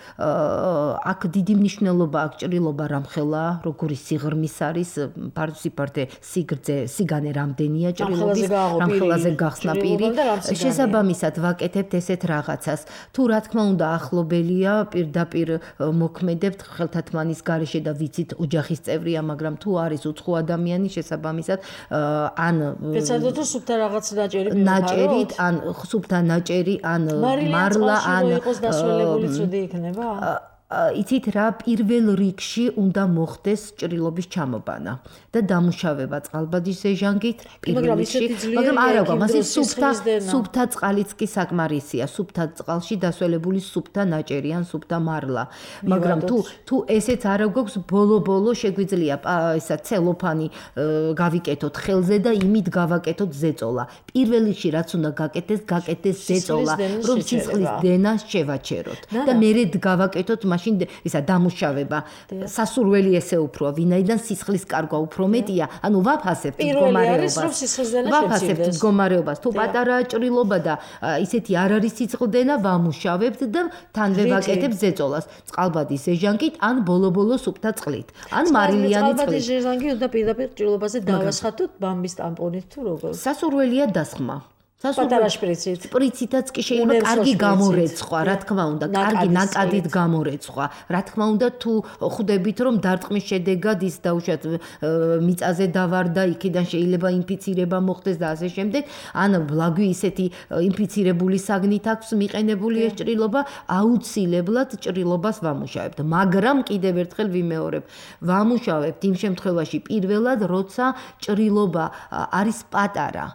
აქ დიდი მნიშვნელობა აქვს ჭრილობა რამხელა როგორი სიღრმის არის ფარსიფარტე სიგრძე სიგანე რამდენია ჭრილობის რამხელაზე გახსნა პირი შესაბამისად ვაკეთებთ ესეთ რაღაცას თუ რა თქმა უნდა ახლობელია პირდაპირ მოქმედებთ ხელთათმანის გარეშე და ვიცით ოჯახის წევრია მაგრამ თუ არის უცხო ადამიანი შესაბამისად ან ეცადოთ სუფთა რაღაც ნაჭერი ნაჭერით ან სუფთა ნაჭერი ან მარლა ან იყოს დასველებული ცუდი იქნება იცით რა პირველ რიგში უნდა მოხდეს ჭრილობის ჩამობანა და დამუშავება წყალბადის ეჟანგით პირველ რიგში მაგრამ არა გვამას სუფთა სუფთა წყალიც კი საკმარისია სუფთა წყალში დასველებული სუფთა ნაჭერი ან სუფთა მარლა მაგრამ თუ თუ ესეც არა გვაქვს ბოლო-ბოლო შეგვიძლია ისა ცელოფანი გავიკეთოთ ხელზე და იმით გავაკეთოთ ზეწოლა პირველ რიგში რაც უნდა გაკეთდეს გაკეთდეს ზეწოლა რომ სისხლის დენა შევაჩეროთ და მერე გავაკეთოთ მაშინ ისა დამუშავება სასურველი ესე უფროა ვინაიდან სისხლის კარგვა უფრო მეტია ანუ ვაფასებთ მდგომარეობას ვაფასებთ მდგომარეობას თუ პატარაა ჭრილობა და ისეთი არ არის სისხლდენა ვამუშავებთ და თან ვევაკეთებთ ზეწოლას წყალბადის ზეჟანკით ან ბოლო-ბოლო სუფთა წყლით ან მარილიანი წყლით წყალბადის ზეჟანკი უნდა პირდაპირ ჭრილობაზე დავასხათოთ ბამბის ტამპონით თუ როგორ სასურველია დასხმა პატარა შპრიცით. შპრიცითაც კი შეიძლება კარგი გამორეცხვა, რა თქმა უნდა, კარგი ნაკადით გამორეცხვა. რა თქმა უნდა, თუ ხვდებით, რომ დარტყმის შედეგად ის დაუშვათ მიწაზე დავარდა, იქიდან შეიძლება ინფიცირება მოხდეს და ასე შემდეგ, ან ბლაგვი ისეთი ინფიცირებული საგნით აქვს მიყენებული ეს ჭრილობა, აუცილებლად ჭრილობას ვამუშავებთ. მაგრამ კიდევ ერთხელ ვიმეორებ, ვამუშავებთ იმ შემთხვევაში პირველად, როცა ჭრილობა არის პატარა.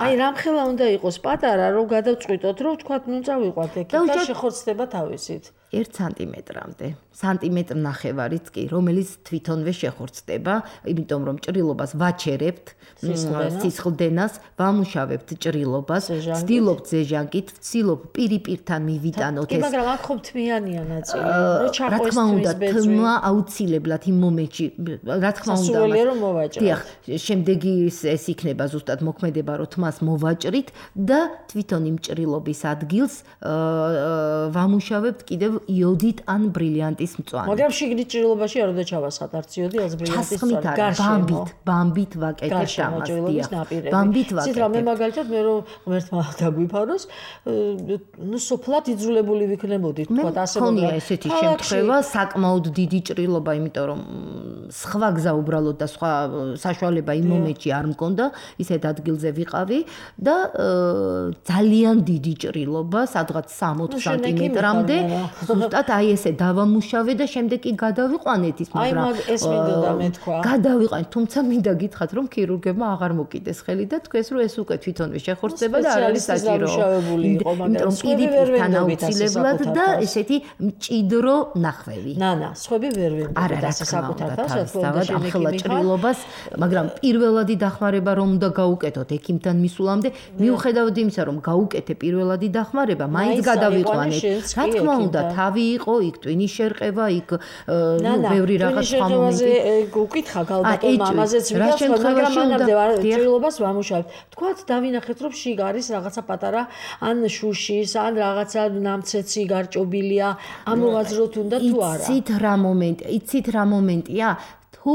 აი რამხელა უნდა იყოს პატარა რომ გადავწყვიტოთ რომ თქვა ნუ წავიყვათ ეგ და შეხორცდება თავისით ერთ სანტიმეტრამდე სანტიმეტრ ნახევარიც კი რომელიც თვითონვე შეხორცდება იმიტომ რომ ჭრილობას ვაჩერებთ სისხლდენას ვამუშავებთ ჭრილობას ვცდილობთ ზეჟანკით ვცდილობ პირიპირთან მივიტანოთ ეს მაგრამ აქ ხომ თმიანია ნაწილი რომ ჩაყოს თმის ბეწვი თმა აუცილებლად იმ მომენტში რა თქმა უნდა სასურველია რომ მოვაჭროთ დიახ შემდეგი ეს იქნება ზუსტად მოქმედება რომ თმას მოვაჭრით და თვითონ იმ ჭრილობის ადგილს ვამუშავებთ კიდევ იოდით ან ბრილიანტის მწვანე. მაგრამ შიგნით ჭრილობაში არ უნდა ჩავასხათ არც იოდი, არც ბრილიანტის მწვანე. ბამბით, ბამბით ვაკეთებთ ამას, დიახ. ბამბით ვაკეთებთ. ცით რამე მაგალითად მე რომ ღმერთმა დაგვიფაროს, ნუ სოფლად იძულებული ვიქნებოდი, თქვა ასე მოგა. ხონია ესეთი შემთხვევა, საკმაოდ დიდი ჭრილობა, იმიტომ რომ სხვა გზა უბრალოდ და სხვა საშუალება იმ მომენტში არ მქონდა, ისეთ ადგილზე ვიყავი და ძალიან დიდი ჭრილობა, სადღაც სამოცი სანტიმეტრამდე ზუსტად აი ესე დავამუშავე და შემდეგ კი გადავიყვანეთ ის მაგრამ აი ეს მინდოდა მე თქვა გადავიყვანეთ თუმცა მინდა გითხრათ რომ ქირურგებმა აღარ მოკიდეს ხელი და თქვენს რომ ეს უკვე თვითონვე შეხორცდება და არ არის საჭირო იმიტომ პირდაპირ აუცილებლად და ესეთი მჭიდრო ნახვევი ნა ნა სხვები ვერ ვიმბობთ ასე საკუთარ თავს ახლა ჭრილობას მაგრამ პირველადი დახმარება რომ უნდა გაუკეთოთ ექიმთან მისულამდე მიუხედავად იმისა რომ გაუკეთე პირველადი დახმარება მაინც გადავიყვანეთ რა თქმა უნდა თავი იყო იქ ტვინის შერყება იქ ნუ ბევრი რაღაც სხვა მომენტი უკითხა გალბატონ მამაზეც ვიგავს მაგრამ მანამდე ჭრილობას ვამუშავებთ თქვათ დავინახეთ რომ შიგ არის რაღაცა პატარა ან შუშის ან რაღაცა ნამცეცი გარჭობილია ამოვაძროთ უნდა თუ არა იცით რა მომენტი იცით რა მომენტია თუ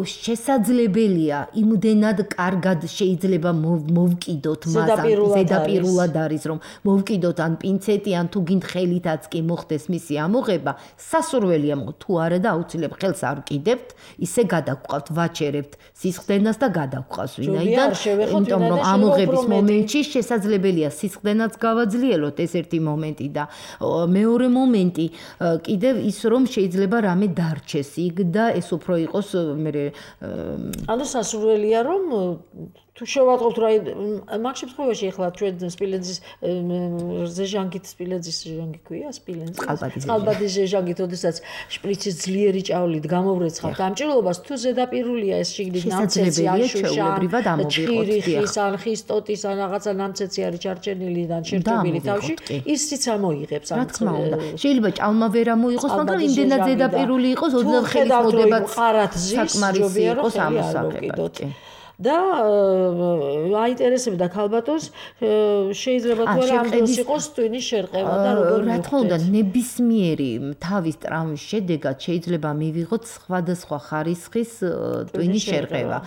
შესაძლებელია იმდენად კარგად შეიძლება მოვკიდოთ მას ზედაპირულად არის რომ მოვკიდოთ ან პინცეტი ან თუ გინდ ხელითაც კი მოხდეს მისი ამოღება სასურველია თუ არა და აუცილებლად ხელს არ ვკიდებთ ისე გადაგყვავთ ვაჩერებთ სისხლდენას და გადაგყვავს ვინაიდან იმიტომ რომ ამოღების მომენტში შესაძლებელია სისხლდენაც გავაძლიეროთ ეს ერთი მომენტი და მეორე მომენტი კიდევ ის რომ შეიძლება რამე დარჩეს იქ და ეს უფრო იყოს მე ანუ სასურველია რომ თუ შევატყობთ რა მაგ შემთხვევაში ახლა ჩვენ სპილენძის ზეჟანგით სპილენძის ზეჟანგი ქვია სპილენძის წყალბადის ზეჟანგით ოდესაც შპრიცის ძლიერი ჭავლით გამოვრეცხავთ ამ ჭრილობას თუ ზედაპირულია ეს შიგნით ნამცეცი ან შუშა ჭირიხის ან ხისტოტის ან რაღაცა ნამცეცი არის ჩარჩენილი და ჩერტობილი თავში ისიც ამოიღებს რა თქმა უნდა შეიძლება ჭალმა ვერ ამოიღოს მაგრამ იმდენად ზედაპირული იყოს ოდნავ ხელის მოდება საკმარისი იყოს ამოსაგებად და აინტერესებდა ქალბატონს შეიძლება თუ არა ამ დროს იყოს ტვინის შერყევა და როგორ რა თქმა უნდა ნებისმიერი თავის ტრამვის შედეგად შეიძლება მივიღოთ სხვადასხვა ხარისხის ტვინის შერყევა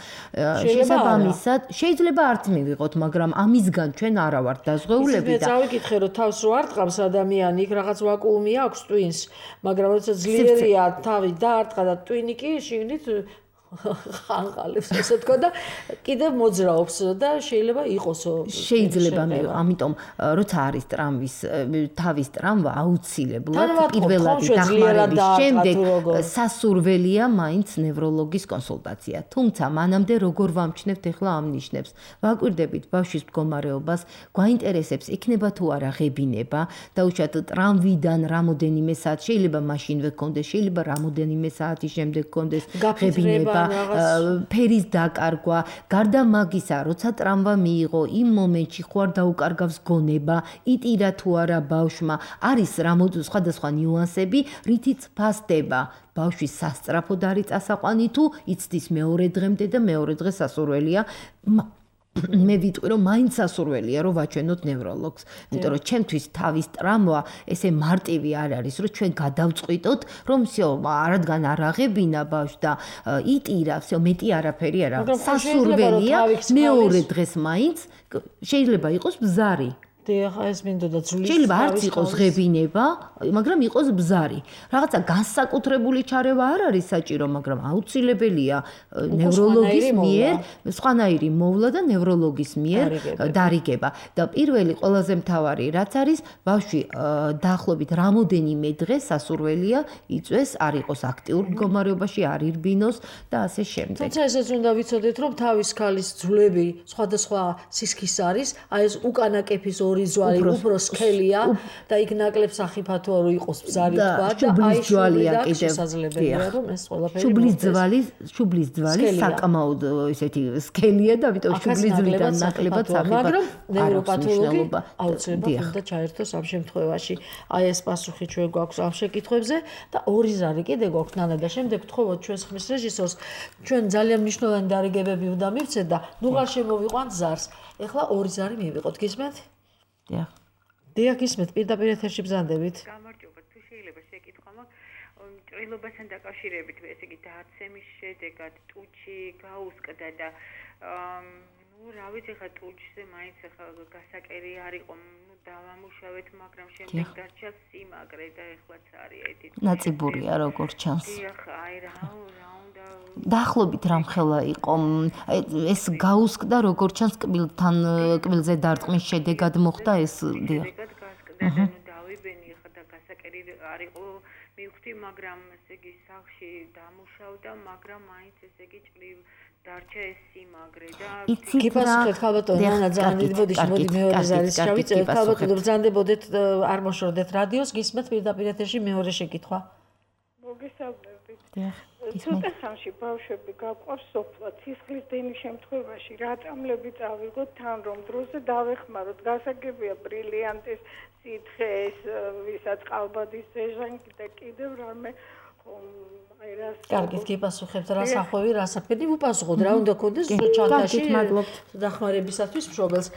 შესაბამისად შეიძლება არც მივიღოთ მაგრამ ამისგან ჩვენ არა ვართ დაზღვეულები და წავიკითხე რომ თავს რო არ ტყავს ადამიანი იქ რაღაც ვაკუუმი აქვს ტვინს მაგრამ როცა ძლიერია თავი დაარტყა და ტვინი კი შიგნით ხანყალებს ესე თქო და კიდევ მოძრაობს და შეიძლება იყოს შეიძლება მე ამიტომ როცა არის ტრამვის თავის ტრამვა აუცილებლად პირველადი დახმარების შემდეგ სასურველია მაინც ნევროლოგის კონსულტაცია თუმცა მანამდე როგორ ვამჩნევთ ახლა ამ ნიშნებს ვაკვირდებით ბავშვის მდგომარეობას გვაინტერესებს იქნება თუ არა ღებინება დაუშვათ ტრამვიდან რამოდენიმე საათი შეიძლება მაშინვე გქონდეს შეიძლება რამოდენიმე საათის შემდეგ გქონდეს ღებინება დაკარგვა, ფერის დაკარგვა, გარდა მაგისა, როცა ტრამვა მიიღო, იმ მომენტში ხო არ დაუკარგავს გონება, იტირა თუ არა ბავშვმა, არის რამოდენიმე სხვადასხვა ნიუანსები, რითიც ფასდება. ბავშვი სასწრაფოდ არის წასაყვანი თუ იცდის მეორე დღემდე და მეორე დღე სასურველია. მე ვიტყვი რომ მაინც სასურველია რომ ვაჩვენოთ ნევროლოგს, იმიტომ რომ ჩემთვის თავის ტრამვა ესე მარტივი არ არის, რომ ჩვენ გადავწყვიტოთ, რომ всё, არადგან არ აღებინა ბავშვს და იტირა, всё, მეტი არაფერი არა. სასურველია მეორე დღეს მაინც შეიძლება იყოს ბზარი. დიახ, ეს მინდოდა ძვლის. შეიძლება არც იყოს ღებინება, მაგრამ იყოს ბზარი. რაღაცა განსაკუთრებული ჩარევა არ არის საჭირო, მაგრამ აუცილებელია ნევროლოგის მიერ, სხვანაირი მოვლა და ნევროლოგის მიერ დარიგება. და პირველი ყველაზე მთავარი რაც არის, ბავშვი დაახლოებით რამოდენიმე დღე სასურველია იწვეს, არ იყოს აქტიურ მდგომარეობაში, არ ირბინოს და ასე შემდეგ. თუმცა ესეც უნდა ვიცოდეთ, რომ თავის ქალის ძვლები სხვადასხვა სისქის არის, აი ეს უკანა კეფის ორი ძვალი უფრო სქელია და იქ ნაკლებ სახიფათოა რომ იყოს ბზარი თქვა და აი ჯვალია კიდევ შესაძლებელია რომ ეს ყველაფერი შუბლის ძვალი შუბლის ძვალი საკმაოდ ესეთი სქელია და ამიტომ შუბლის ძვლიდან ნაკლებად სახიფათო მაგრამ ნევროპათოლოგი აუცილებლად უნდა ჩაერთოს ამ შემთხვევაში აი ეს პასუხი ჩვენ გვაქვს ამ შეკითხვებზე და ორი ზარი კიდე გვაქვს ნანა და შემდეგ ვთხოვოთ ჩვენს ხმის რეჟისორს ჩვენ ძალიან მნიშვნელოვანი დარიგებები უნდა მივცეთ და ნუღარ შემოვიყვანთ ზარს ეხლა ორი ზარი მივიღოთ გისმენთ დიახ. დიახ, ისმეთ პირდაპირ ეთერში ბრძანდებით. გამარჯობა, თუ შეიძლება შეკითხვა მაქვს, ჭრილობასთან დაკავშირებით, ესე იგი დაცემის შედეგად ტუჩი გაუსკდა და ნუ რა ვიცი ხა ტუჩზე მაინც ხა გასაკერი არ იყო, ნუ დავამუშავეთ, მაგრამ შემდეგ დარჩა სიმაგრე და ეხლაც არის ეთი. ნაწიბურია როგორც ჩანს. დიახ, აი რა რა უნდა დაახლოებით რამხელა იყო ეს გაუსკდა როგორც ჩანს კბილთან კბილზე დარტყმის შედეგად მოხდა ეს დიახ. გასკდა და ნუ დავიბენი ხა და გასაკერი არ იყო მივხვდი, მაგრამ ესე იგი სახში დამუშავდა, მაგრამ მაინც ესე იგი ჭრილ დარჩა ეს სიმაგრე და გიპასუხეთ ხალბატონო ნანა ძალიან დიდი ბოდიში მოდი მეორე ზარის შევიწევთ ხალბატონო ბრძანდებოდეთ არ მოშორდეთ რადიოს გისმენთ პირდაპირ ეთერში მეორე შეკითხვა მოგესალმებით დიახ ცოტა ხანში ბავშვები გაყვარს სოფლა ცისხლის დენის შემთხვევაში რა წამლები წავიღოთ თან რომ დროზე დავეხმაროთ გასაგებია ბრილიანტის სითხე ეს ვისაც ყალბადის ეჟანგი და კიდევ რამე აი რა კარგით გიპასუხებთ რა სახვევი რა საფედი ვუპასუხოთ რა უნდა გქონდეს ჩანთაში დახმარებისათვის მშობელს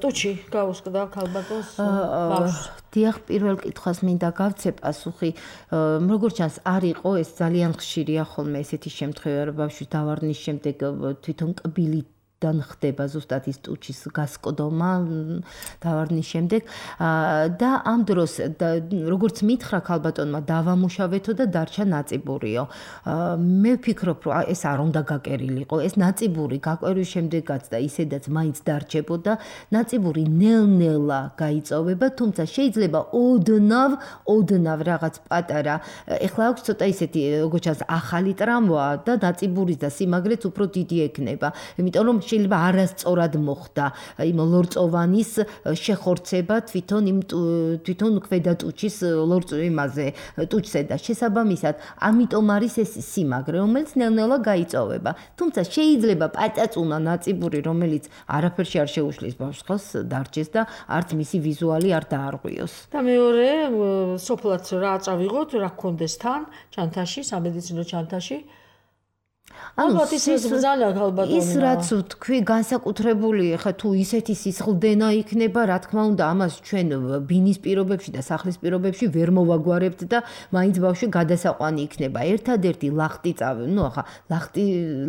ტუჩი გაუსკდა ქალბატონს ბავშვს დიახ პირველ კითხვას მინდა გავცე პასუხი როგორც ჩანს არ იყო ეს ძალიან ხშირია ხოლმე ესეთი შემთხვევა რომ ბავშვი დავარნის შემდეგ თვითონ კბილი დან ხდება ზუსტად ის ტუჩის გასკდომა დავარნის შემდეგ და ამ დროს როგორც მითხრა ქალბატონმა დავამუშავეთო და დარჩა ნაწიბურიო მე ვფიქრობ რომ ეს არ უნდა გაკერილიყო ეს ნაწიბური გაკვერვის შემდეგაც და ისედაც მაინც დარჩებოდა ნაწიბური ნელ-ნელა გაიწოვება თუმცა შეიძლება ოდნავ ოდნავ რაღაც პატარა ეხლა აქვს ცოტა ისეთი როგორც ჩანს ახალი ტრამვა და ნაწიბურის და სიმაგრეც უფრო დიდი ექნება იმიტომ რომ შეიძლება არასწორად მოხდა იმ ლორწოვანის შეხორცება თვითონ იმ თვითონ ქვედა ტუჩის ლორწვიმაზე ტუჩზე და შესაბამისად ამიტომ არის ეს სიმაგრე რომელიც ნელ-ნელა გაიწოვება თუმცა შეიძლება პაწაწუნა ნაწიბური რომელიც არაფერში არ შეუშლის ბავშვს ხელს დარჩეს და არც მისი ვიზუალი არ დაარღვიოს და მეორე სოფლად რა აწავიღოთ რა გქონდეს თან ჩანთაში სამედიცინო ჩანთაში ანუ ის ბრძანა ქალბატონო ის რაც თქვი განსაკუთრებული ხა თუ ისეთი სისხლდენა იქნება რა თქმა უნდა ამას ჩვენ ბინის პირობებში და სახლის პირობებში ვერ მოვაგვარებთ და მაინც ბავშვი გადასაყვანი იქნება ერთადერთი ლახტი წავე ნუ ახლა ლახტი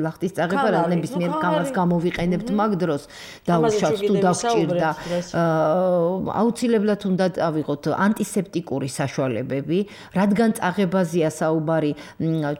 ლახტის წაღება რა ნებისმიერ კამას გამოვიყენებთ მაგ დროს დაუშვათ თუ დაგჭირდა აუცილებლად უნდა ავიღოთ ანტისეპტიკური საშუალებები რადგან წაღებაზეა საუბარი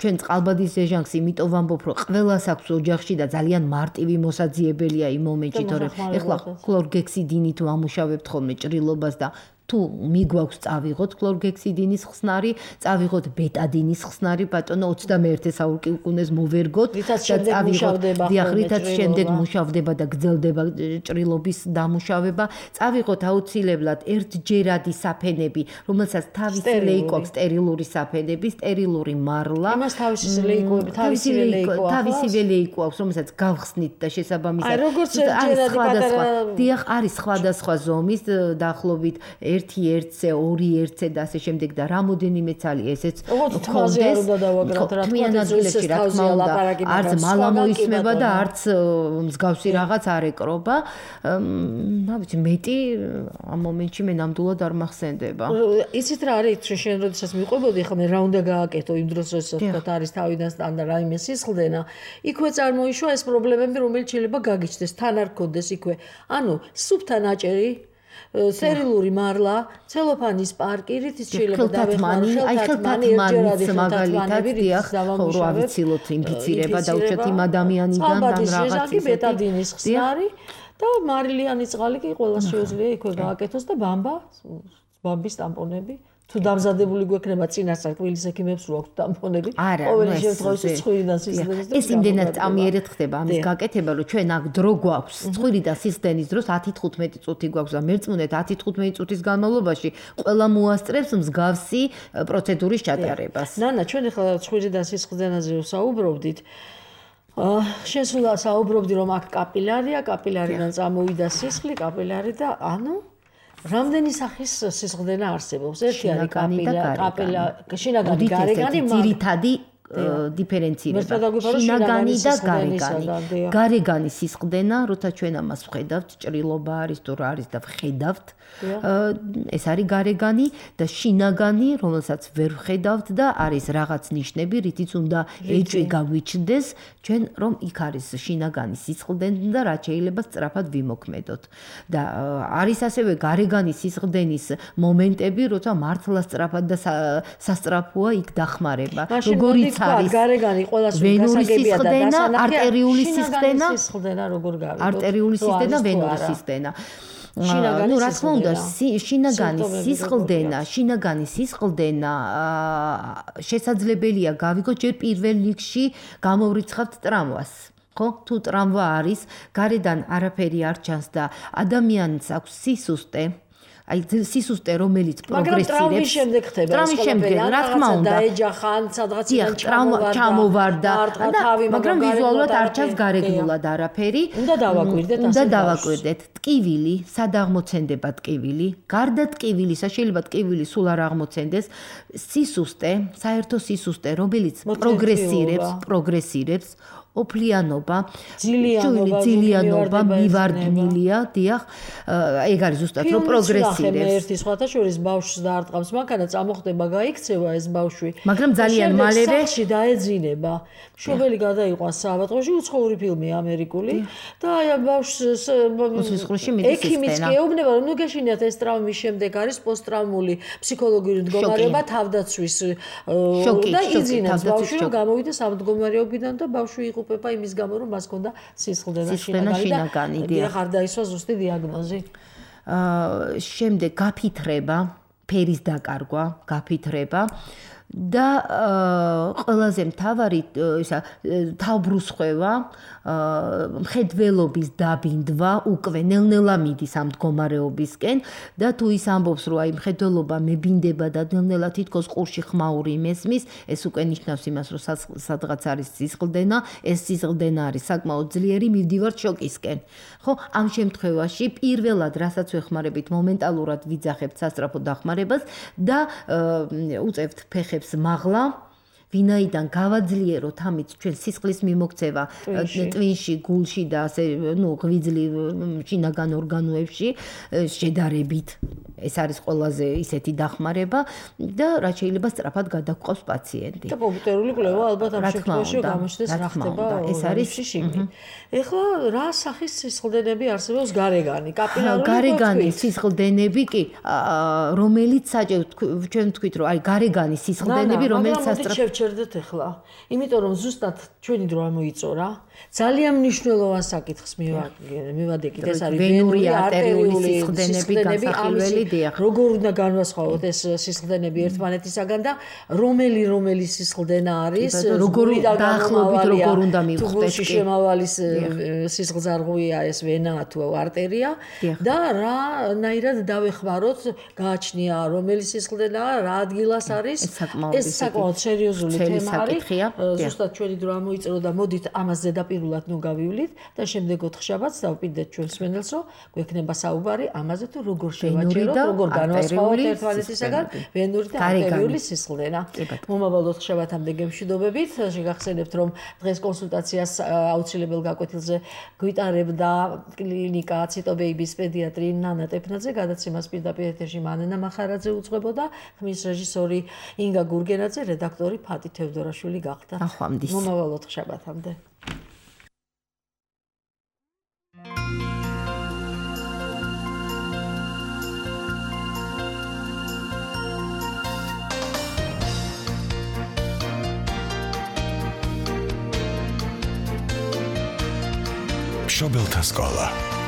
ჩვენ წყალბადის ეჟანგს იმიტომ ვამბობ რომ ყველას აქვს ოჯახში და ძალიან მარტივი მოსაძიებელია იმ მომენტში თორემ ეხლა ქლორგექსიდინით ვამუშავებთ ხოლმე ჭრილობას და თუ მიგვაქვს წავიღოთ ქლორგექსიდინის ხსნარი, წავიღოთ ბეტადინის ხსნარი, ბატონო ოცდამეერთე საუკუნეს მოვერგოთ და წავიღოთ, დიახ, რითაც შემდეგ მუშავდება და გრძელდება ჭრილობის დამუშავება, წავიღოთ აუცილებლად ერთჯერადი საფენები, რომელსაც თავისი ლეიკო, სტერილური საფენები, სტერილური მარლა. იმას თავისი ლეიკოები, თავისი ლეიკო აქვს. თავისი ლეიკო აქვს, რომელსაც გავხსნით და შესაბამისად. აი, როგორც ერთჯერადი პატარა. დიახ, არის სხვადასხვა ზომის, დაახლოებით ერთი ერთზე, ორი ერთზე და ასე შემდეგ და რამოდენიმე ცალი ესეც ხონდეს. თმიან ადგილებში რა თქმა უნდა, არც მალა მოისმება და არც მსგავსი რაღაც არ ეკრობა. რა ვიცი, მეტი ამ მომენტში მე ნამდვილად არ მახსენდება. იცით რა არის, შენ როდესაც მიყვებოდი, ხა მე რა უნდა გააკეთო იმ დროს, როდესაც თქვა არის თავიდან სტანდარტ რაიმე სისხლდენა, იქვე წარმოიშვა ეს პრობლემები, რომელიც შეიძლება გაგიჩნდეს, თან არ გქონდეს იქვე. ანუ სუფთა ნაჭერი სტერილური მარლა, ცელოფანის პარკი, რითიც შეიძლება დავეხმარო, აი ხელთათმანის მაგალითად, დიახ, ხო რა ვიცილოთ ინფიცირება და უშოთ იმ ადამიანიდან და რაღაც ისეთი ბეტადინის ხსნარი და მარილიანი წყალი კი ყველას შეუძლია იქვე გააკეთოს და ბამბა, ბამბის ტამპონები თუ დამზადებული გვექნება წინასწარ კვილის ექიმებს რო აქვს ტამპონები, ყოველი შემთხვევაში ცხვირიდან სისხლდენის დროს ეს იმდენად წამიერად ხდება ამის გაკეთება, რომ ჩვენ აქ დრო გვაქვს, ცხვირიდან სისხლდენის დროს ათი თხუთმეტი წუთი გვაქვს და მერწმუნეთ ათი თხუთმეტი წუთის განმავლობაში ყველა მოასწრებს მსგავსი პროცედურის ჩატარებას. ნანა, ჩვენ ახლა ცხვირიდან სისხლდენაზე ვსაუბრობდით. შენ სულ საუბრობდი რომ აქ კაპილარია, კაპილარიდან წამოვიდა სისხლი, კაპილარი და ანუ რამდენი სახის სისხლდენა არსებობს? ერთი არის კაპილარი, კაპილარი, შინაგანი, გარეგანი, ძირითადი დიფერენცირება. შინაგანი და გარეგანი. გარეგანი სისხლდენა, როცა ჩვენ ამას ვხედავთ, ჭრილობა არის თუ რა არის და ვხედავთ, ეს არის გარეგანი და შინაგანი, რომელსაც ვერ ვხედავთ და არის რაღაც ნიშნები, რითიც უნდა ეჭვი გაგვიჩნდეს, ჩვენ რომ იქ არის შინაგანი სისხლდენა და რაც შეიძლება სწრაფად ვიმოქმედოთ. და არის ასევე გარეგანი სისხლდენის მომენტები, როცა მართლა სწრაფად და სასწრაფოა იქ დახმარება. როგორიც არის გარეგანი ყველას გასაგებია და დასანახია არტერიული სისხლდენა, სისხლდენა როგორ გავიგოთ? არტერიული სისხლდენა, ვენური სისხლდენა. შინაგანი რა თქმა უნდა, შინაგანი სისხლდენა, შინაგანი სისხლდენა შესაძლებელია გავიგოთ ჯერ პირველ რიგში გამოვრიცხავთ ტრამვას. ხო? თუ ტრამვა არის, გარედან არაფერი არ ჩანს და ადამიანს აქვს სისუსტე, აი სისუსტე რომელიც პროგრესირებს. მაგრამ ტრამვის შემდეგ ხდება ეს ყველაფერი. რა თქმა უნდა, დაეჯახან, სადღაციდან ჩამოვარდა. მაგრამ ვიზუალურად არ ჩანს გარეგნულად არაფერი. უნდა დავაკვირდეთ ასე. უნდა დავაკვირდეთ. ტკივილი, სად აღმოცენდება ტკივილი? გარდა ტკივილისა, შეიძლება ტკივილი სულ არ აღმოცენდეს. სისუსტე, საერთო სისუსტე, რომელიც პროგრესირებს, პროგრესირებს. ოფლიანობა, ძილიანობა, ძილიანობა მივარდნილია, დიახ, ეგ არის ზუსტად რომ პროგრესირებს. ერთი სხვათა შორის ბავშვს დაარტყამს, მანქანა წამოხდება, გაიქცევა ეს ბავშვი. მაგრამ ძალიან მალევე სახლში დაეძინება. მშობელი გადაიყვანს საავადმყოფოში, უცხოური ფილმი ამერიკული და აი ბავშვს ექიმიც გეუბნება რომ ნუ გეშინიათ ეს ტრაუმის შემდეგ არის პოსტტრაუმული ფსიქოლოგიური მდგომარეობა, თავდაცვის და იძინებს ბავშვი რომ გამოვიდეს ამ მდგომარეობიდან და ბავშვი უპება იმის გამო რომ მას ჰქონდა სისხლდენა შინაგანი და ხარ დაისვა ზუსტი დიაგნოზი. აა შემდეგ გაფითრება, ფერის დაკარგვა, გაფითრება და ყველაზე მთავარი ისა თავბრუსხვევა, მხედველობის დაბინდვა უკვე ნელ-ნელა მიდის ამ მდგომარეობისკენ და თუ ის ამბობს რომ აი მხედველობა მებინდება და ნელ-ნელა თითქოს ყურში ხმაური მესმის, ეს უკვე ნიშნავს იმას რომ სადღაც არის სისხლდენა, ეს სისხლდენა არის საკმაოდ ძლიერი, მივდივართ შოკისკენ. ხო, ამ შემთხვევაში პირველად რასაც ვეხმარებით მომენტალურად ვიძახებთ სასწრაფო დახმარებას და უწევთ ფეხებს მაღლა, ვინაიდან გავაძლიეროთ ამით ჩვენ სისხლის მიმოქცევა ტვინში, გულში და ასე, ნუ ღვიძლი შინაგან ორგანოებში შედარებით. ეს არის ყველაზე ისეთი დახმარება და რაც შეიძლება სწრაფად გადაგყავს პაციენტი. და კომპიუტერული კვლევა ალბათ ამ შემთხვევაში გამოჩნდეს რა ხდება ეს არის შიგნით. ეხლა რა სახის სისხლდენები არსებობს გარეგანი, კაპილარული გარეგანი სისხლდენები კი, რომელიც საჭიროა ჩვენ ვთქვით რომ აი გარეგანი სისხლდენები, რომელიც სასწრაფო დავაჩერდეთ ახლა, იმიტომ რომ ზუსტად ჩვენი დრო ამოიწორა. ძალიან მნიშვნელოვან საკითხს მივადეკით, ეს არის ვენური არტერიული სისხლდენები, განსახილველი დიახ. როგორ უნდა განვასხვაოთ ეს სისხლდენები ერთმანეთისაგან და რომელი რომელი სისხლდენა არის, როგორ დაახლოებით როგორ უნდა მივხვდეთ კი. შემავალის სისხლძარღვია ეს ვენაა თუ არტერია და რანაირად დავეხმაროთ, გააჩნია რომელი სისხლდენაა, რა ადგილას არის. ეს საკმაოდ სერიოზული თემა არის. ზუსტად ჩვენი დრო ამოიწრო და მოდით ამას ზედაპირულად ნუ გავივლით და შემდეგ ოთხშაბათს დავპირდეთ ჩვენს მენელს, რომ გვექნება საუბარი ამაზე თუ როგორ შევაჩეროთ, როგორ განვასხვაოთ ერთმანეთისაგან ვენური და არტერიული სისხლდენა. მომავალ ოთხშაბათამდე გემშვიდობებით. შეგახსენებთ, რომ დღეს კონსულტაციას აუცილებელ გაკვეთილზე გვიტარებდა კლინიკა ციტობეიბის პედიატრი ნანა ტეფნაძე, გადაცემას პირდაპირ ეთერში მანენა მახარაძე უძღვებოდა, ხმის რეჟისორი ინგა გურგენაძე, რედაქტორი ფატი თევდორაშვილი გახდა. ნახვამდის. მომავალ ოთხშაბათამდე. მშობელთა სკოლა